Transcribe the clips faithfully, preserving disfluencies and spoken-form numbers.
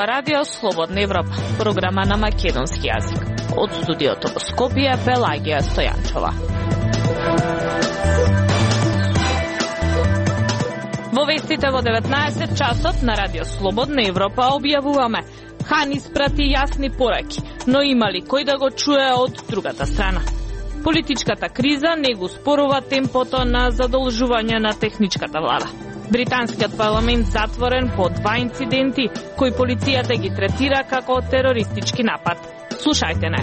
зборува Радио Слободна Европа, програма на македонски јазик. Од студиото во Скопје, Пелагија Стојанчова. Во вестите во деветнаесет часот на Радио Слободна Европа објавуваме: Хан испрати јасни пораки, но има ли кој да го чуе од другата страна? Политичката криза не го спорува темпото на задолжување на техничката влада. Британскиот парламент затворен по два инциденти кои полицијата ги третира како терористички напад. Слушајте не.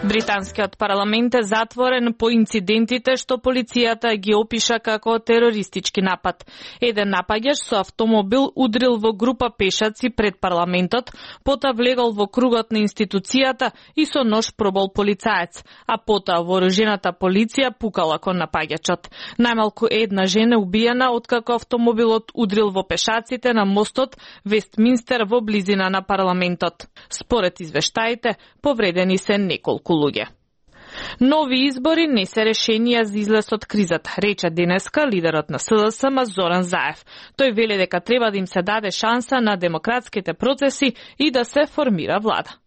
Британскиот парламент е затворен по инцидентите што полицијата ги опиша како терористички напад. Еден напаѓач со автомобил удрил во група пешаци пред парламентот, потоа влегол во кругот на институцијата и со нож пробол полицаец, а потоа вооружената полиција пукала кон напаѓачот. Најмалку една жена убиена откако автомобилот удрил во пешаците на мостот Вестминстер во близина на парламентот. Според извештаите, повредени се неколку луѓе. Нови избори не се решенија за излез од кризата, рече денеска лидерот на С Д С М Зоран Заев. Тој вели дека треба да им се даде шанса на демократските процеси и да се формира влада.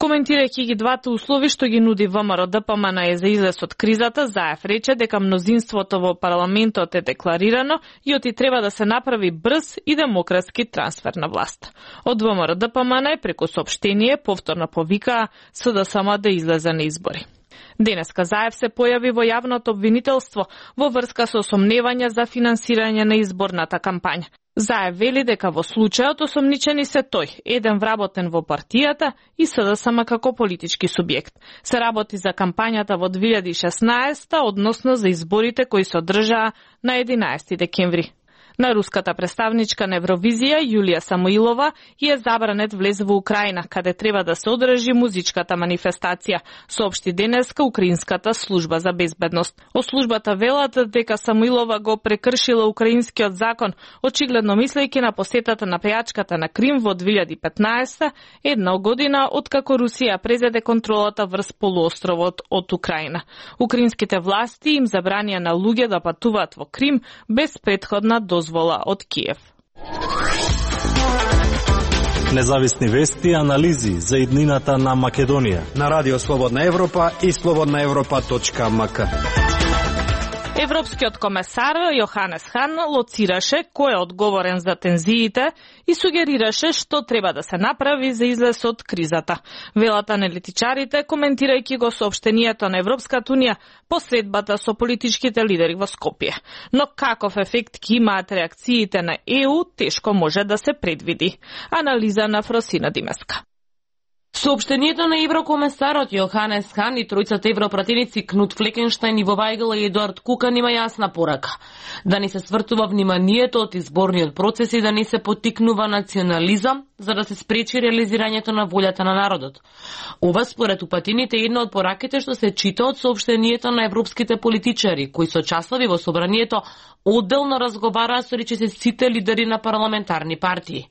Коментирајќи ги двата услови што ги нуди В М Р Д П М Н Е за излез од кризата, Заев рече дека мнозинството во парламентот е декларирано и оти треба да се направи брз и демократски трансфер на власт. Од В М Р Д П М Н Е преку соопштение повторно повикаа С Д С М да излезе на избори. Денеска Заев се појави во јавното обвинителство во врска со сомневања за финансирање на изборната кампања. Заев вели дека во случајот осомничени се тој, еден вработен во партијата и С Д С М како политички субјект. Се работи за кампањата во две илјади и шеснаесета, односно за изборите кои се одржаа на единаесети декември. На руската представничка на Евровизија Јулија Самоилова и е забранет влез во Украина, каде треба да се одржи музичката манифестација, соопшти денеска Украинската служба за безбедност. О службата велат дека Самоилова го прекршила украинскиот закон, очигледно мислејќи на посетата на пејачката на Крим во две илјади и петнаесета, една година откако Русија презеде контролата врз полуостровот од Украина. Украинските власти им забранија на луѓе да патуваат во Крим без претходна дозвола од Киев. Независни вести и анализи за иднината на Македонија на Радио Слободна Европа и слободна европа точка м к. Европскиот комесар Јоханес Хан лоцираше кој е одговорен за тензиите и сугерираше што треба да се направи за излез од кризата. Велат аналитичарите, коментирајќи го соопштението на Европската унија по средбата со политичките лидери во Скопје. Но каков ефект ќе имаат реакциите на Е У, тешко може да се предвиди. Анализа на Фросина Димеска. Соопштението на еврокомесарот Јоханес Хан и тројцата европратеници Кнут Флекенштајн, Иво Вајгл и Едуард Кукан има јасна порака: да не се свртува вниманието од изборниот процес и да не се поттикнува национализам за да се спречи реализирањето на волјата на народот. Ова според упатените е една од пораките што се чита од соопштението на европските политичари, кои со часови во собранието одделно разговараа со речиси сите лидери на парламентарни партии.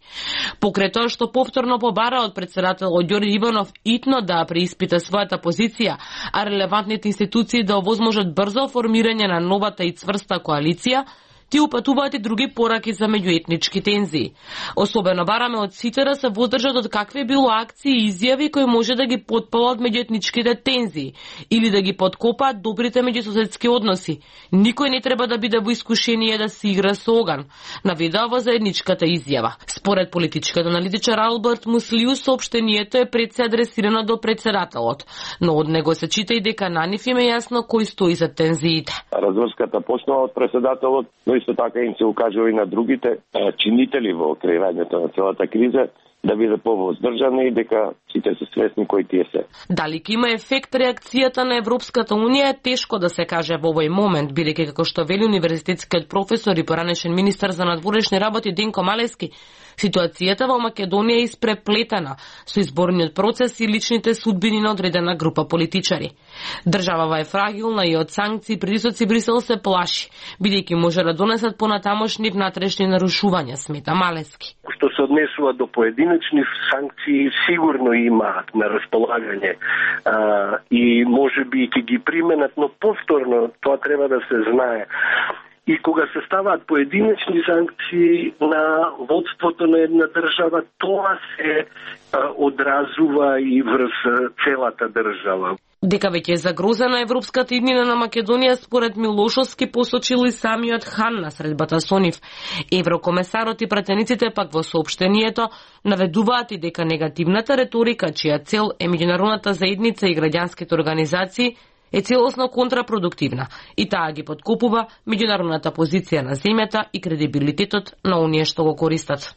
Покрај тоа што повторно побара од председателот Ѓорѓе Иванов итно да преиспита својата позиција, а релевантните институции да овозможат брзо формирање на новата и цврста коалиција, ти упатуваат и други пораки за меѓуетнички тензии. Особено бараме од сите да се воздржат од какви било акции и изјави кои може да ги потпалат меѓуетничките тензии или да ги подкопаат добрите меѓусоседски односи. Никој не треба да биде во искушение да се игра со оган, наведува во заедничката изјава. Според политичката аналитичар Алберт Муслиу, соопштението е пред се адресирано до председателот, но од него се чита и дека на нив им е јасно кој стои за тензиите. Разврската почнува од председателот, но исто така им се укажува и на другите чинители во креирањето на целата криза да биде повоздржани и дека сите се свесни кои тие се. Дали ќе има ефект реакцијата на Европската унија е тешко да се каже во овој момент, бидејќи како што вели универзитетскиот професор и поранешен министар за надворешни работи Денко Малески, ситуацијата во Македонија е испреплетена со изборниот процес и личните судбини на одредена група политичари. Државава е фрагилна и од санкции и притисоци Брисел се плаши, бидејќи може да донесат понатамошни внатрешни нарушувања, смета Малески. Што се однесува до поединечни санкции, сигурно имаат на располагање а, и може би ќе ги применат, но повторно тоа треба да се знае. и кога се ставаат поединечни санкции на водството на една држава, тоа се а, одразува и врз целата држава. Дека веќе е загрозена европската иднина на Македонија, според Милошовски посочил и самиот хан на средбата со нив. Еврокомесарот и пратениците пак во соопштението наведуваат и дека негативната реторика, чија цел е меѓународната заедница и граѓанските организации, е целосно контрапродуктивна и таа ги подкопува меѓународната позиција на земјата и кредибилитетот на оние што го користат.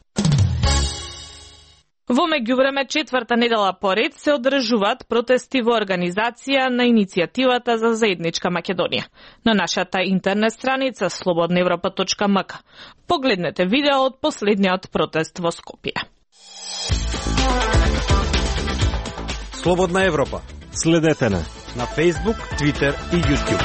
Во меѓувреме четврта недела поред се одржуваат протести во организација на иницијативата за заедничка Македонија. На нашата интернет страница слободна европа точка ем ка погледнете видео од последниот протест во Скопје. Слободна Европа. Следете не на Facebook, Twitter и YouTube.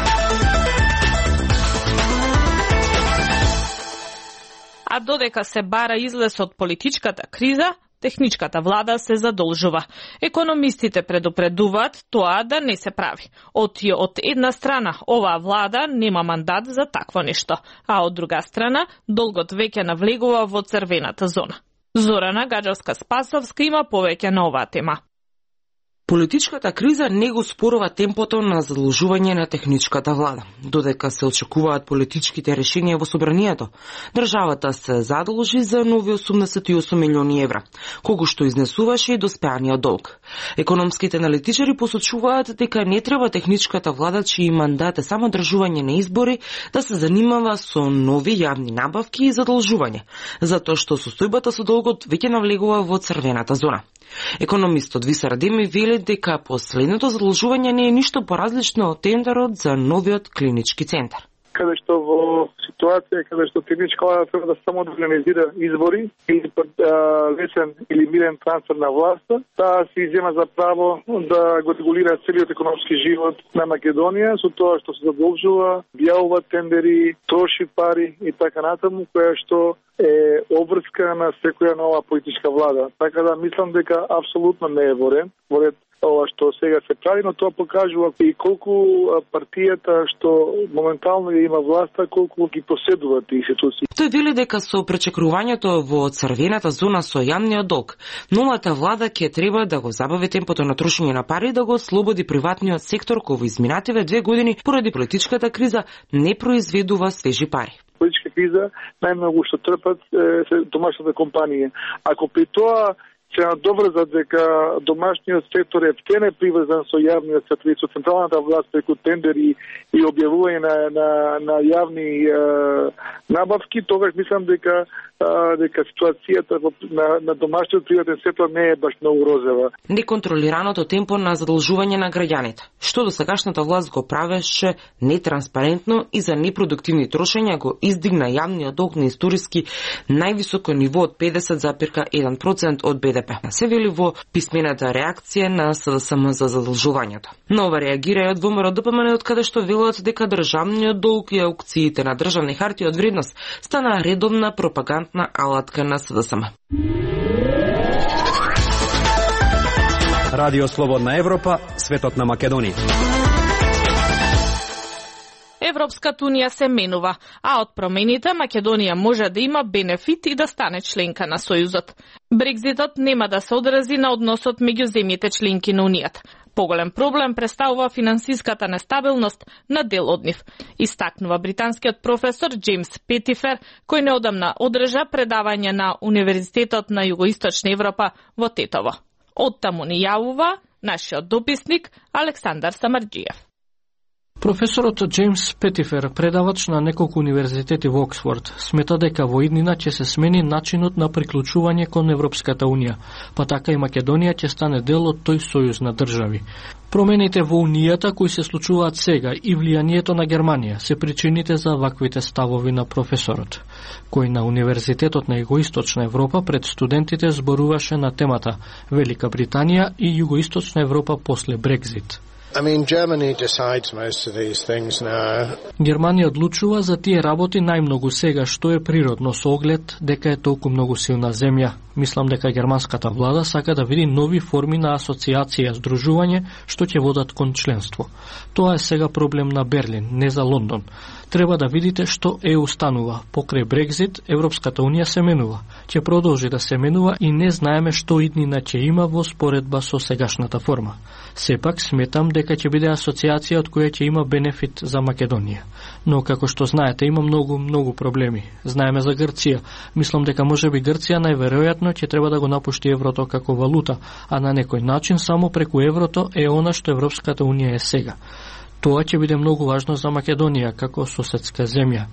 А додека се бара излез од политичката криза, техничката влада се задолжува. Економистите предупредуваат тоа да не се прави. Оти од една страна, оваа влада нема мандат за такво нешто, а од друга страна, долгот веќе навлегува во црвената зона. Зорана Гаджовска-Спасовска има повеќе на оваа тема. Политичката криза не го спорува темпото на задолжување на техничката влада. Додека се очекуваат политичките решенија во собранието, државата се задолжи за нови осумдесет и осум милиони евра, колку што изнесуваше и доспеаниот долг. Економските аналитичари посочуваат дека не треба техничката влада, чиј мандат е само држување на избори, да се занимава со нови јавни набавки и задолжување, затоа што состојбата со долгот веќе навлегува во црвената зона. Економистот Висар Адеми вели дека последното задолжување не е ништо поразлично од тендерот за новиот клинички центар. Каде што во ситуација каде што техничка влада треба да само да организира избори или лесен или мирен трансфер на власта, таа си зема за право да го регулира целиот економски живот на Македонија со тоа што се задолжува, објавува тендери, троши пари и така натаму, која што е обврска на секоја нова политичка влада. Така да мислам дека апсолутно не е во ред, во ред ова што сега се прави, но тоа покажува и колку партијата што моментално има власта, колку ги поседуваат институции. Тој вели дека со пречекрувањето во црвената зона со јавниот долг, новата влада ќе треба да го забави темпото на трошење на пари и да го слободи приватниот сектор кој во изминативе две години поради политичката криза не произведува свежи пари. Политичка криза најмногу што трпат е домашната компанија. Ако при тоа се надоврзат дека домашниот сектор е втене приврзан со јавниот сектор и со централната власт преку тендери и објавување на, на, на јавни е, набавки, тогаш мислам дека е, дека ситуацијата на, на домашниот приватен сектор не е баш многу розова. Неконтролираното темпо на задолжување на граѓаните, што до сегашната власт го правеше нетранспарентно и за непродуктивни трошења, го издигна јавниот долг на историски највисоко ниво од педесет зарез еден процент од Б Д П. Се вели во писмената реакција на С Д С М за задолжувањето. Но ова реагира и од Во М Р Д П М Н од каде што велат дека државниот долг и аукциите на државни хартии од вредност стана редовна пропагандна алатка на С Д С М. Радио Слободна Европа, светот на Македонија. Европската унија се менува, а од промените Македонија може да има бенефит и да стане членка на Сојузот. Брекзитот нема да се одрази на односот меѓу земјите членки на Унијата. Поголем проблем представува финансиската нестабилност на дел од нив, истакнува британскиот професор Джеймс Петифер, кој неодамна одржа предавање на Универзитетот на Југоисточна Европа во Тетово. Оттаму ни јавува нашиот дописник Александар Самарџиев. Професорот Джеймс Петифер, предавач на неколку универзитети во Оксфорд, смета дека во иднина ќе се смени начинот на приклучување кон Европската унија, па така и Македонија ќе стане дел од тој сојуз на држави. Промените во Унијата кои се случуваат сега и влијанието на Германија се причините за ваквите ставови на професорот, кој на Универзитетот на Југоисточна Европа пред студентите зборуваше на темата Велика Британија и Југоисточна Европа после Брекзит. I mean, Germany decides most of these things now. Германија одлучува за тие работи најмногу сега, што е природно со оглед дека е толку многу силна земја. Мислам дека германската влада сака да види нови форми на асоциација, здружување, што ќе водат кон членство. Тоа е сега проблем на Берлин, не за Лондон. Треба да видите што ЕУ станува. Покрај Брекзит, Европската Унија се менува. Ќе продолжи да се менува и не знаеме што иднина ќе има во споредба со сегашната форма. Сепак сметам дека ќе биде асоциација од која ќе има бенефит за Македонија. Но како што знаете, има многу, многу проблеми. Знаеме за Грција. Мислам дека можеби Грција најверојатно ќе треба да го напушти еврото како валута, а на некој начин само преку еврото е она што Европската Унија е сега. Тоа ќе биде многу важно за Македонија како соседска земја.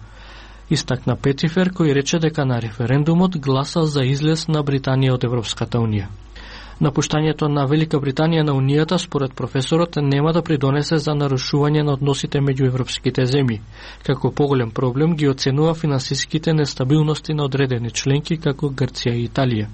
Истакна Петифер, кој рече дека на референдумот гласал за излез на Британија од Европската Унија. Напуштањето на Велика Британија на Унијата, според професорот, нема да придонесе за нарушување на односите меѓу европските земји. Како поголем проблем ги оценува финансиските нестабилности на одредени членки како Грција и Италија.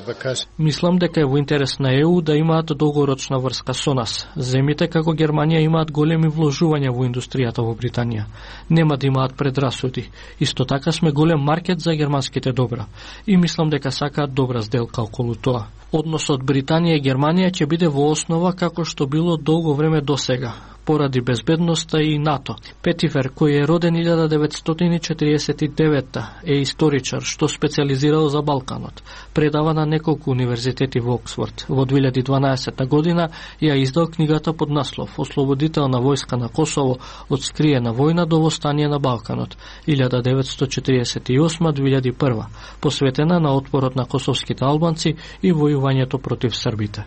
Because... Мислам дека е во интерес на ЕУ да имаат долгорочна врска со нас. Земите како Германија имаат големи вложувања во индустријата во Британија. Нема да имаат предрасуди. Исто така сме голем маркет за германските добра. И мислам дека сакаат добра сделка околу тоа. Односот Британија и Германија ќе биде во основа како што било долго време досега, поради безбедноста и НАТО. Петифер, кој е роден илјада деветстотини четиридесет и девета, е историчар што специализирал за Балканот. Предава на неколку универзитети во Оксфорд. Во две илјади и дванаесета година ја издал книгата под наслов Ослободителна војска на Косово од скриена војна до востание на Балканот илјада деветстотини четиридесет и осма до две илјади и прва, посветена на отпорот на косовските албанци и војувањето против србите.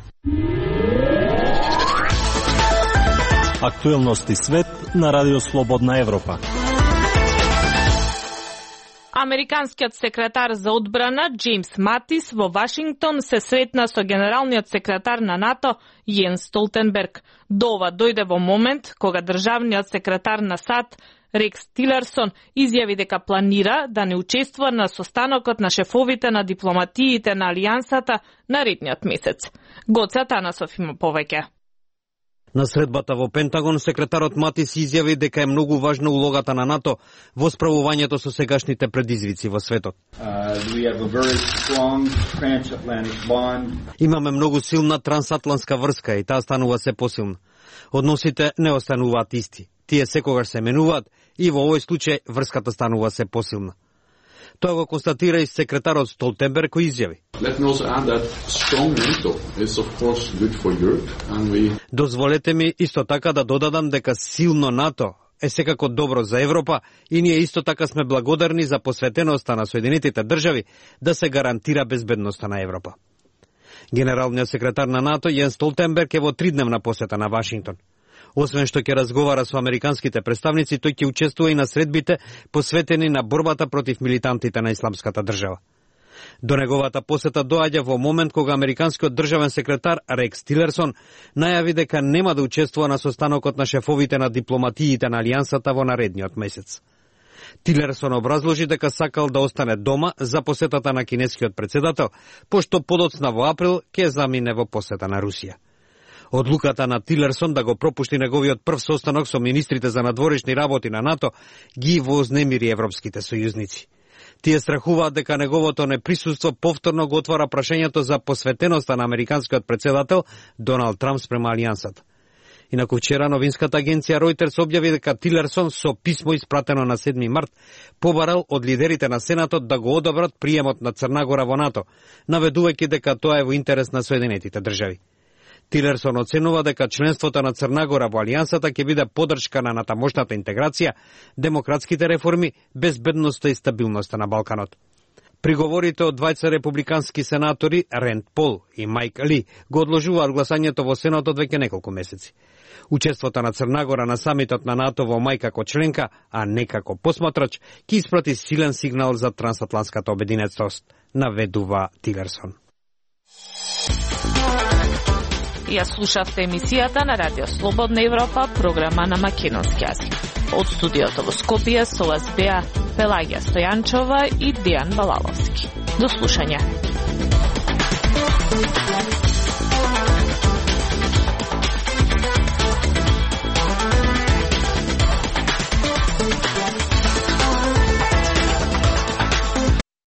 Актуелности свет на Радио Слободна Европа. Американскиот секретар за одбрана Джеймс Матис во Вашингтон се сретна со генералниот секретар на НАТО Јенс Столтенберг. До ова дојде во момент кога државниот секретар на САД Рекс Тилерсон изјави дека планира да не учествува на состанокот на шефовите на дипломатиите на Алијансата наредниот месец. Гоце Танасов има повеќе. На средбата во Пентагон, секретарот Матис изјави дека е многу важна улогата на НАТО во справувањето со сегашните предизвици во светот. Uh, Имаме многу силна трансатлантска врска и таа станува се посилна. Односите не остануваат исти. Тие секогаш се менуваат и во овој случај врската станува се посилна. Тоа го констатира и секретарот Столтенберг, кој изјави: Дозволете ми исто така да додадам дека силно НАТО е секако добро за Европа и ние исто така сме благодарни за посветеноста на Соединетите држави да се гарантира безбедноста на Европа. Генералниот секретар на НАТО Јенс Столтенберг е во тридневна посета на Вашингтон. Освен што ќе разговара со американските представници, тој ќе учествува и на средбите посветени на борбата против милитантите на Исламската држава. До неговата посета доаѓа во момент кога американскиот државен секретар Рекс Тилерсон најави дека нема да учествува на состанокот на шефовите на дипломатиите на Алијансата во наредниот месец. Тилерсон образложи дека сакал да остане дома за посетата на кинескиот претседател, пошто подоцна во април ќе замине во посета на Русија. Одлуката на Тилерсон да го пропушти неговиот прв состанок со министрите за надворешни работи на НАТО ги вознемири европските сојузници. Тие страхуваат дека неговото неприсуство повторно го отвара прашањето за посветеноста на американскиот претседател Доналд Трамп спрема Алијансата. Инаку вчера новинската агенција Reuters објави дека Тилерсон со писмо испратено на седми март побарал од лидерите на Сенатот да го одобрат приемот на Црна Гора во НАТО, наведувајќи дека тоа е во интерес на Соединетите држави. Тилерсон оценува дека членството на Црна Гора во Алијансата ќе биде поддршка на натамошната интеграција, демократските реформи, безбедноста и стабилноста на Балканот. Приговорите од двајца републикански сенатори Ренд Пол и Майк Ли го одложуваат гласањето во Сенатот веќе неколку месеци. Учеството на Црна Гора на самитот на НАТО во мај како членка, а не како посматрач, ќе испрати силен сигнал за трансатлантската обединетост, наведува Тилерсон. Ја слушавте емисијата на Радио Слободна Европа, програма на македонски јазик. Од студиото во Скопје со вас беа Пелагија Стојанчова и Дијан Балаловски. До слушање.